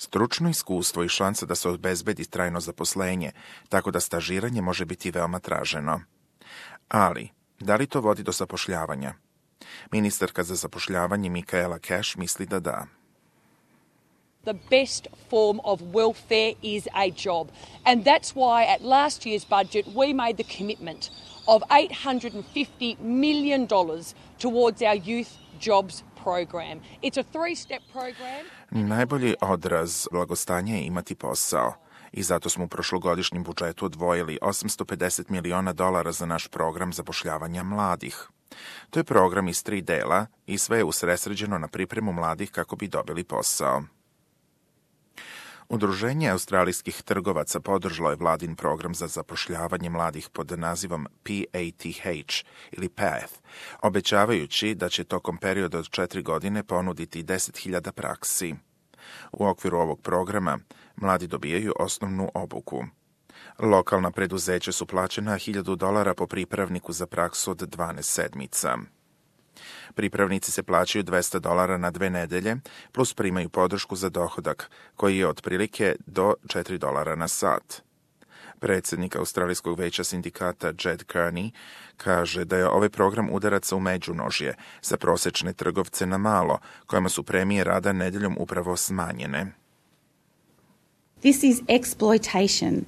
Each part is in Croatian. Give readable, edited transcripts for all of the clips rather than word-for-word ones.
stručno iskustvo i šansa da se obezbedi trajno zaposlenje, tako da stažiranje može biti veoma traženo. Ali, da li to vodi do zapošljavanja? Ministarka za zapošljavanje Michaela Cash misli da da. The best form of welfare is a job. And that's why at last year's budget we made the commitment of $850 million towards our youth jobs program. It's a three-step program. Najbolji odraz blagostanja je imati posao. I zato smo u prošlogodišnjem budžetu odvojili $850 miliona za naš program zapošljavanja mladih. To je program iz 3 dela i sve je usredsređeno na pripremu mladih kako bi dobili posao. Udruženje australijskih trgovaca podržalo je vladin program za zapošljavanje mladih pod nazivom PATH ili PATH, obećavajući da će tokom perioda od 4 godine ponuditi 10.000 praksi. U okviru ovog programa mladi dobijaju osnovnu obuku. Lokalna preduzeća su plaćena $1.000 po pripravniku za praksu od 12 sedmica. Pripravnici se plaćaju $200 na 2 nedelje, plus primaju podršku za dohodak, koji je otprilike do $4 na sat. Predsjednik Australijskog veća sindikata Jed Kearney kaže da je ovaj program udaraca u međunožje za prosečne trgovce na malo, kojima su premije rada nedeljom upravo smanjene. This is exploitation.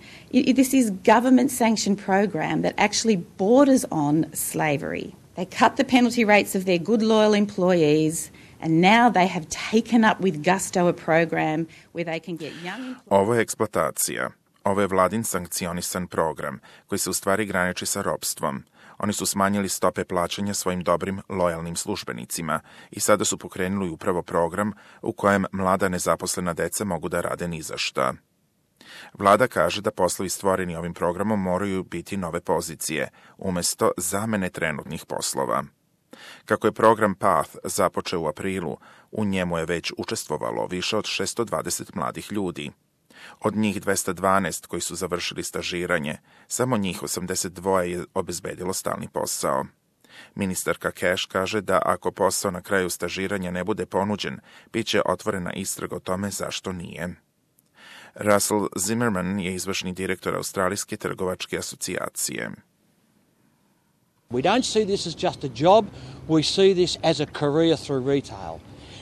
This is government-sanctioned program that actually borders on slavery. They cut the penalty rates of their good, loyal employees, and now they have taken up with gusto a program where they can get young... Ovo je eksploatacija. Ovo je vladin sankcionisan program, koji se u stvari graniči sa ropstvom. Oni su smanjili stope plaćanja svojim dobrim, lojalnim službenicima i sada su pokrenuli upravo program u kojem mlada nezaposlena deca mogu da rade ni za šta. Vlada kaže da poslovi stvoreni ovim programom moraju biti nove pozicije, umjesto zamene trenutnih poslova. Kako je program PATH započeo u aprilu, u njemu je već učestvovalo više od 620 mladih ljudi. Od njih 212 koji su završili stažiranje, samo njih 82 je obezbedilo stalni posao. Ministarka Cash kaže da ako posao na kraju stažiranja ne bude ponuđen, bit će otvorena istraga o tome zašto nije. Russell Zimmerman je izvršni direktor Australijske trgovačke asocijacije. We don't see this as just a job, we see this as a career through retail.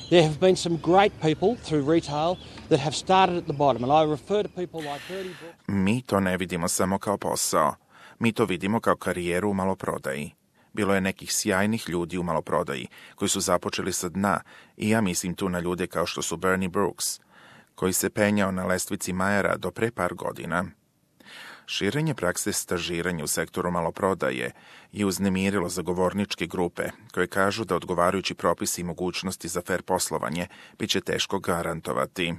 There have been some great people through retail that have started at the bottom, and I refer to people like Bertie Brooks. Mi to ne vidimo samo kao posao. Mi to vidimo kao karijeru u maloprodaji. Bilo je nekih sjajnih ljudi u maloprodaji koji su započeli sa dna i ja mislim tu na ljude kao što su Bernie Brooks, koji se penjao na lestvici Majera do pre par godina. Širenje prakse stažiranja u sektoru maloprodaje je uznemirilo zagovorničke grupe koje kažu da odgovarajući propisi i mogućnosti za fair poslovanje bit će teško garantovati.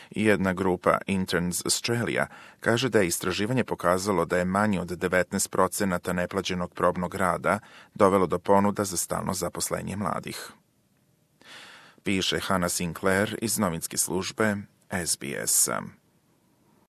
Jedna grupa Interns Australia kaže da je istraživanje pokazalo da je manje od 19% neplaćenog probnog rada dovelo do ponuda za stalno zaposlenje mladih. Piše Hannah Sinclair iz novinske službe SBS.